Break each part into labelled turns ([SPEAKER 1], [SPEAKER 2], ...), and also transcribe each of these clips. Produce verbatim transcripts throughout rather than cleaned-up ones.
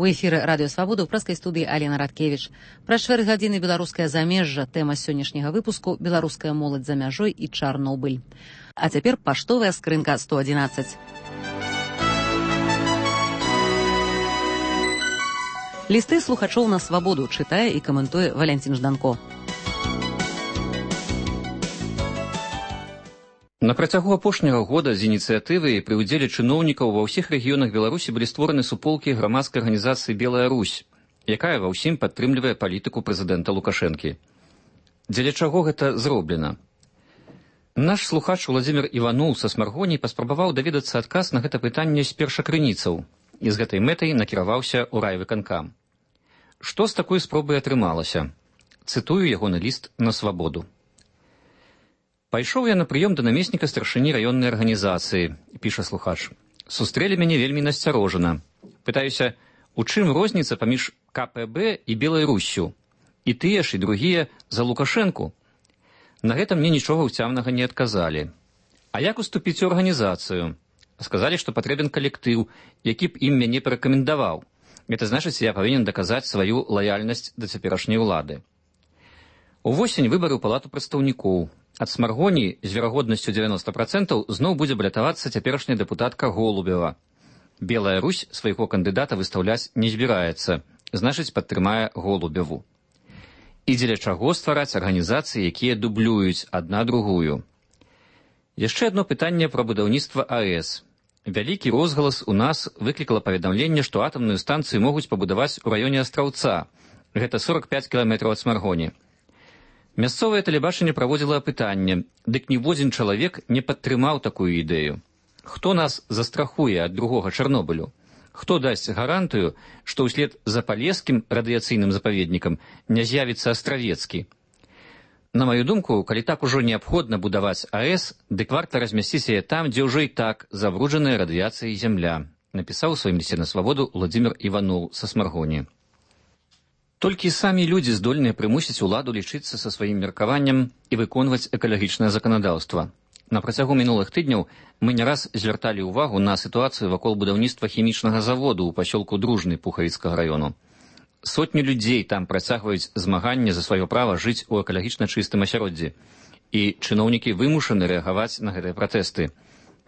[SPEAKER 1] У эфіры радыёвабода ў праскай студыі Алена Радкевіч. Праз чатыры гадзіны беларускае замежжа. Тэма сённяшняга выпуску беларуская моладзь за мяжой і Чарнобыль. А цяпер паштовая скрынка сто адзінаццаць. Лісты слухачоў на свабоду чытае і каментуе Валянцін Жданко.
[SPEAKER 2] На працягу апошняга года з ініцыятывай пры ўдзеле чыноўнікаў ва ўсіх рэгіёнах Беларусі былі створаны суполкі грамадскай арганізацыі «Белая Русь», якая ва ўсім падтрымлівае палітыку прэзідэнта Лукашэнкі. Дзеля чаго гэта зроблена? Наш слухач Владзімір Іванул са Смаргоні паспрабаваў даведацца адказ на гэта пытанне з першакрыніцаў і з гэтай мэтай накіраваўся ў райвыканкам. Што з такой спробай атрымалася? Цытую ягоны ліст на свабоду. Пайшоў я на прыём да намесніка старшыні раённай арганізацыі, піша слухач. Сустрэлі мяне вельмі насцярожана. Пытаюся, у чым розніца паміж ка пэ бэ і Белай Руссю? І тыя ж, і другія за Лукашэнку. На гэта мне нічога ўцямнага не адказалі. А як уступіць у арганізацыю? Сказалі, што патрэбен калектыў, які б ім мяне парэкамендаваў. Гэта значыць, я павінен даказаць сваю лаяльнасць да цяперашняй улады. Увосень выбары ў палату прадстаўнікоў. Ад Смаргоні з верагоднасцю дзевяноста працэнтаў зноў будзе балятавацца цяперашняя дэпутатка Голубева. Белая Русь свайго кандыдата выстаўляць не збіраецца, значыць, падтрымае Голубеву. І дзеля чаго ствараць арганізацыі, якія дублююць адна другую? Яшчэ адно пытанне пра будаўніцтва а э эс. Вялікі розгалас у нас выклікала паведамленне, што атамную станцыю могуць пабудаваць у раёне Астраўца. Гэта сорак пяць кіламетраў ад Смаргоні. Мясцовае тэлебачанне праводзіла апытанне, дык ніводзін чалавек не падтрымаў такую ідэю. Хто нас застрахуе ад другога Чарнобылю? Хто дасць гарантыю, што ўслед за палескім радыяцыйным запаведнікам не з'явіцца Астравецкі? На маю думку, калі так ужо неабходна будаваць а э эс, дык варта размясціць яе там, дзе ўжо і так забруджаная радыяцыяй зямля, напісаў у сваім лісце на свабоду Владзімір Іванул са Смаргоні. Толькі самі людзі здольныя прымусіць уладу лічыцца са сваім меркаваннем і выконваць экалагічнае заканадаўства. На працягу мінулых тыдняў мы не раз звярталі ўвагу на сітуацыю вакол будаўніцтва хімічнага заводу ў пасёлку Дружны Пухавіцкага раёну. Сотні людзей там працягваюць змаганне за сваё права жыць у экалагічна чыстым асяроддзі. І чыноўнікі вымушаны рэагаваць на гэтыя пратэсты.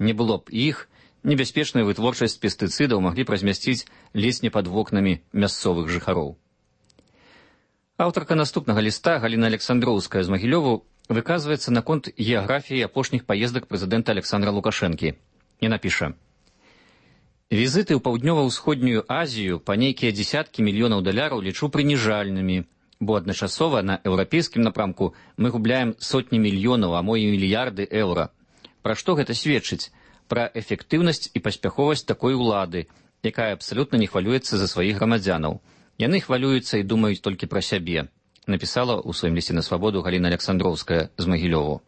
[SPEAKER 2] Не было б іх, небяспечную вытворчасць пестыцыдаў маглі б размясціць ледзь не пад вокнамі мясцовых жыхароў. Аўтарка наступнага ліста Галіна Александроўская з Магілёву выказваецца наконт геаграфіі апошніх паездак прэзідэнта Александра Лукашэнкі. І напіша. Візіты ў паўднёва-ўсходнюю Азію па нейкія дзесяткі мільёнаў даляраў лічу прыніжальнымі, бо адначасова на еўрапейскім напрамку мы губляем сотні мільёнаў, а мо і мільярды еўра. Пра што гэта сведчыць? Пра эфектыўнасць і паспяховасць такой улады, якая абсалютна не хвалюецца за сваіх грамадзянаў. Яны хвалююцца і думаюць толькі пра сябе, напісала ў сваім лісце на свабоду Галіна Александроўская з Магілёву.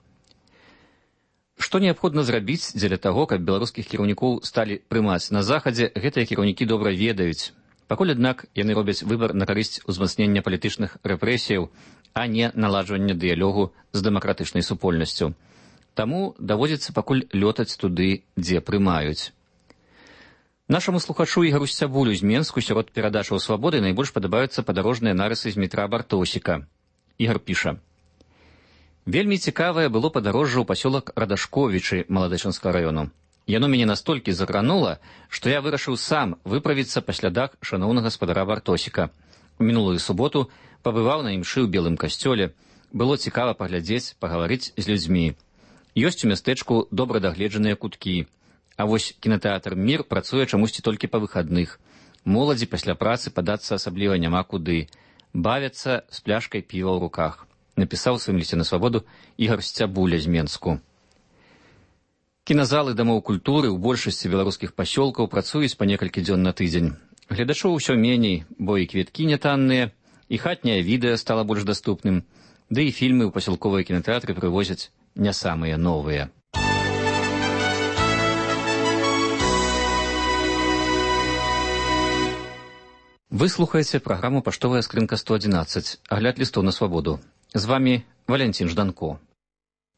[SPEAKER 2] Што неабходна зрабіць дзеля таго, каб беларускіх кіраўнікоў сталі прымаць на захадзе, гэтыя кіраўнікі добра ведаюць. Пакуль, аднак, яны робяць выбар на карысць узмацнення палітычных рэпрэсіяў, а не наладжвання дыялогу з дэмакратычнай супольнасцю. Таму даводзіцца пакуль лётаць туды, дзе прымаюць. Нашаму слухачу Ігару Сцябулю з Менску сярод перадачаў свабоды найбольш падабаюцца падарожныя нарысы з метра Бартосіка. Ігар піша. Вельмі цікавае было падарожжа ў пасёлак Радашковічы Маладэчынскага раёну. Яно мяне настолькі закранула, што я вырашыў сам выправіцца па слядах шаноўнага гаспадара Бартосіка. У мінулую суботу пабываў на імшы ў белым касцёле. Было цікава паглядзець, пагаварыць з людзьмі. Ёсць у мястэчку добра дагледжаныя куткі. А вось кінатэатр «Мір» працуе чамусьці толькі па выхадных. Моладзі пасля працы падацца асабліва няма куды. Бавяцца з пляшкай піва ў руках. Напісаў у сваім лісце на свабоду Ігар Сцябуля з Менску. Кіназалы дамоў культуры ў большасці беларускіх пасёлкаў працуюць па некалькі дзён на тыдзень. Гледачоў усё меней, бо і квіткі нятанныя, і хатняе відэа стала больш даступным, ды і фільмы ў пасялковыя кінатэатры прывозяць не самыя новыя. Вы слухаеце праграму «Паштовая скрынка сто адзінаццаць», агляд лістоў на свабоду. З вамі Валянцін Жданко.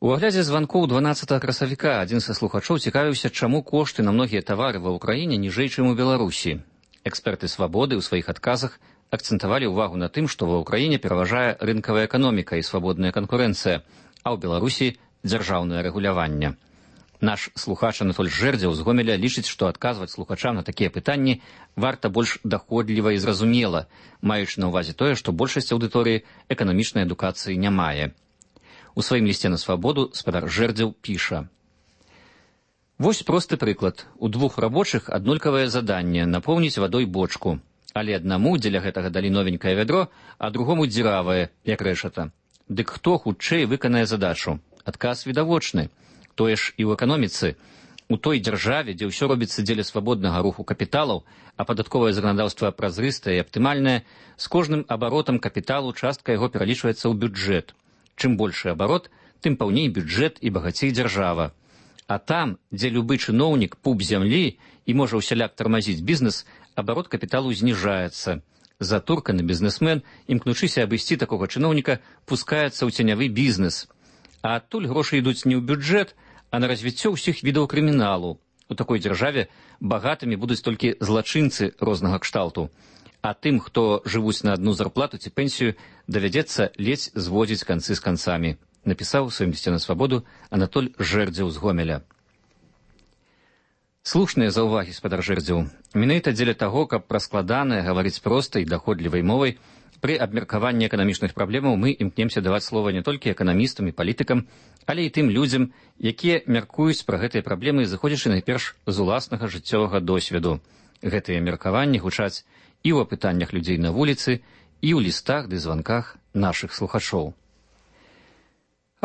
[SPEAKER 2] У аглядзе званкоў дванаццатага красавіка адзін са слухачоў цікавіўся, чаму кошты на многія тавары ва ўкраіне ніжэй, чым у Беларусі. Эксперты «Свабоды» ў сваіх адказах акцэнтавалі ўвагу на тым, што ва ўкраіне пераважае рынкавая эканоміка і свабодная канкурэнцыя, а ў Беларусі дзяржаўнае рэгуляванне. Наш слухач Анатоль Жэрдзеў з Гомеля лічыць, што адказваць слухачам на такія пытанні варта больш даходліва і зразумела, маючы на ўвазе тое, што большасць аўдыторыі эканамічнай адукацыі не мае. У сваім лісце на «Свабоду» спадар Жэрдзеў піша: «Вось просты прыклад. У двух рабочых аднолькавае заданне напоўніць вадой бочку, але аднаму дзеля гэтага далі новенькае вядро, а другому дзіравае, як рэшата. Дык хто хутчэй выканае задачу? Адказ відавочны. Тое ж і ў эканоміцы. У той дзяржаве, дзе ўсё робіцца дзеля свабоднага руху капіталаў, а падатковае заканадаўства празрыстае і аптымальнае, з кожным абаротам капіталу частка яго пералічваецца ў бюджэт. Чым большы абарот, тым паўней бюджэт і багацей дзяржава. А там, дзе любы чыноўнік пуп зямлі і можа ўсяляк тармазіць бізнес, абарот капіталу зніжаецца. Затурканы бізнесмен, імкнучыся абысці такога чыноўніка, пускаецца ў ценявы бізнес. А адтуль грошы ідуць не ў бюджэт, а на развіццё ўсіх відаў крыміналу. У такой дзяржаве багатымі будуць толькі злачынцы рознага кшталту. А тым, хто жывуць на адну зарплату ці пенсію, давядзецца ледзь зводзіць канцы з канцамі. Напісаў у сваім лісце на «Свабоду» Анатоль Жэрдзеў з Гомеля. Слушныя заўвагі, спадар Жэрдзеў. Менавіта дзеля таго, каб пра складанае гаварыць простай, даходлівай мовай, пры абмеркаванні эканамічных праблемаў мы імкнемся даваць слова не толькі эканамістам і палітыкам, але і тым людзям, якія мяркуюць пра гэтыя праблемы, зыходзячы найперш з уласнага жыццёвага досведу. Гэтыя меркаванні гучаць і ў апытаннях людзей на вуліцы, і ў лістах ды званках нашых слухачоў.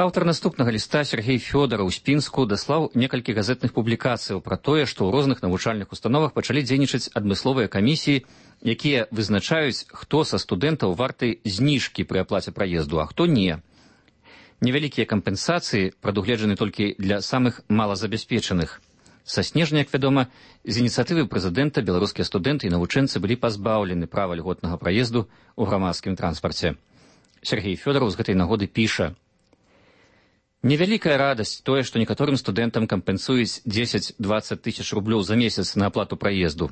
[SPEAKER 2] Аўтар наступнага ліста Сергей Фёдараў з Пінску даслаў некалькі газетных публікацыяў пра тое, што ў розных навучальных установах пачалі дзейнічаць адмысловыя камісіі, якія вызначаюць, хто са студэнтаў варты зніжкі пры аплаце праезду, а хто не. Невялікія кампенсацыі прадугледжаны толькі для самых малазабяспечаных. Са снежня, як вядома, з ініцыятывы прэзідэнта беларускія студэнты і навучэнцы былі пазбаўлены права льготнага праезду ў грамадскім транспарце. Сергей Фёдараў з гэтай нагоды піша: «Невялікая радасць тое, што некаторым студэнтам кампенсуюць дзесяць-дваццаць тысяч рублёў за месяц на аплату праезду,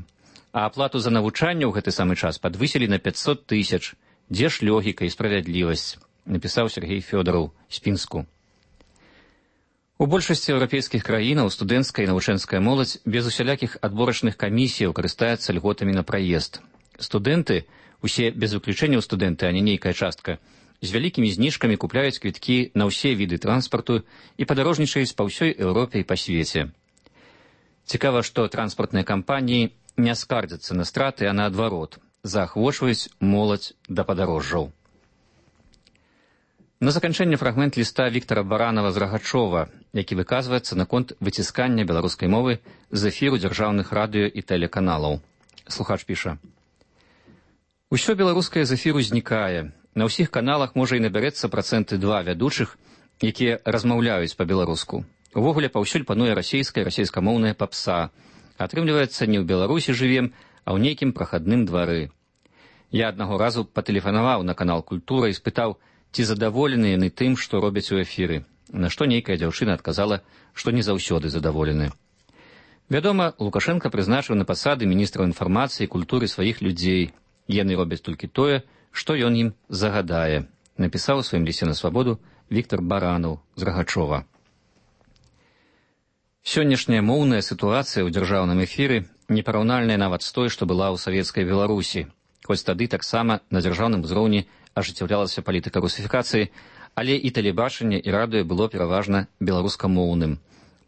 [SPEAKER 2] а аплату за навучанне ў гэты самы час падвысілі на пяцьсот тысяч. Дзе ж логіка і справядлівасць?» напісаў Сергей Фёдараў з Пінску. У большасці еўрапейскіх краінаў студэнцкая і навучэнская моладзь без усялякіх адборачных камісіяў карыстаецца льготамі на праезд. Студэнты, усе без выключэнняў студэнты, а не нейкая частка, з вялікімі зніжкамі купляюць квіткі на ўсе віды транспарту і падарожнічаюць па ўсёй Еўропе і па свеце. Цікава, што транспартныя кампаніі не скардзяцца на страты, а наадварот, заахвочваюць моладзь да падарожжаў. На заканчэнне фрагмент ліста Віктара Баранава з Рагачова, які выказваецца наконт выціскання беларускай мовы з эфіру дзяржаўных радыё і тэлеканалаў. Слухач піша: «Усё беларускае з эфіру знікае. На ўсіх каналах можа і набярэцца працэнты два вядучых, якія размаўляюць па-беларуску. Увогуле паўсюль пануе расейская, расейскамоўная папса. Атрымліваецца, не ў Беларусі жывем, а ў нейкім прахадным двары. Я аднаго разу патэлефанаваў на канал «Культура» і спытаў, ці задаволены яны тым, што робяць у эфіры, на што нейкая дзяўчына адказала, што не заўсёды задаволены. Вядома, Лукашенка прызначыў на пасады міністраў інфармацыі і культуры сваіх людзей. Яны робяць толькі тое, што ён ім загадае», напісаў у сваім лісце на «Свабоду» Віктар Баранаў з Рагачова. Сённяшняя моўная сітуацыя ў дзяржаўным эфіры непараўнальная нават з той, што была ў савецкай Беларусі, хоць тады таксама на дзяржаўным узроўні ажыццяўлялася палітыка русіфікацыі, але і тэлебачанне і радыё было пераважна беларускамоўным.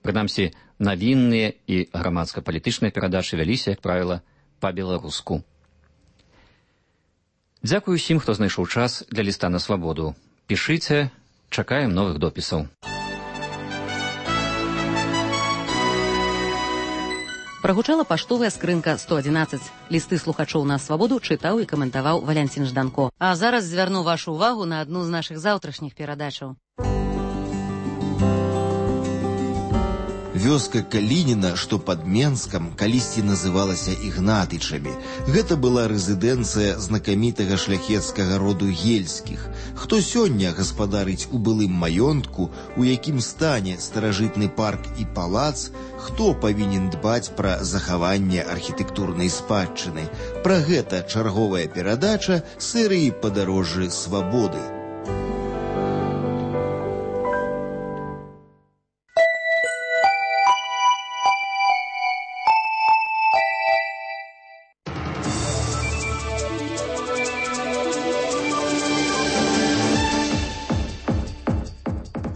[SPEAKER 2] Прынамсі, навінныя і грамадска-палітычныя перадачы вяліся, як правіла, па-беларуску. Дзякую усім, хто знайшоў час для ліста на «Свабоду». Пішыце, чакаем новых допісаў.
[SPEAKER 1] Прагучала паштовая скрынка сто адзінаццаць. Лісты слухачоў на «Свабоду» чытаў і каментаваў Валянцін Жданко. А зараз звярну вашу ўвагу на адну з нашых заўтрашніх перадачаў.
[SPEAKER 3] Вёска Калініна, што пад Менскам, калісьці называлася Ігнатычамі. Гэта была рэзідэнцыя знакамітага шляхецкага роду Ельскіх. Хто сёння гаспадарыць у былым маёнтку, у якім стане старажытны парк і палац, хто павінен дбаць пра захаванне архітэктурнай спадчыны. Пра гэта чарговая перадача серыі «Падарожжы свабоды».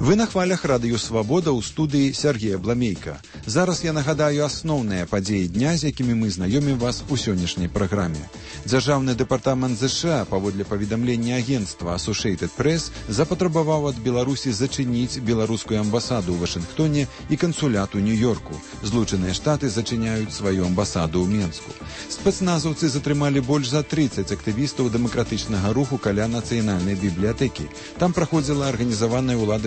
[SPEAKER 4] Вы на хвалях радыё «Свабода» ў студыі Сергея Бламейка. Зараз я нагадаю асноўныя падзеі дня, з якімі мы знаёмім вас у сённяшняй праграме. Дзяржаўны дэпартамент ЗША, паводле паведамлення агенцтва Associated Press, запатрабаваў ад Беларусі зачыніць беларускую амбасаду ў Вашынгтоне і кансулят у Нью-Йорку. Злучаныя Штаты зачыняюць сваю амбасаду ў Менску. Спецназаўцы затрымалі больш за трыццаць актывістаў дэмакратычнага руху каля нацыянальнай бібліятэкі. Там праходзіла арганізаваная ўлада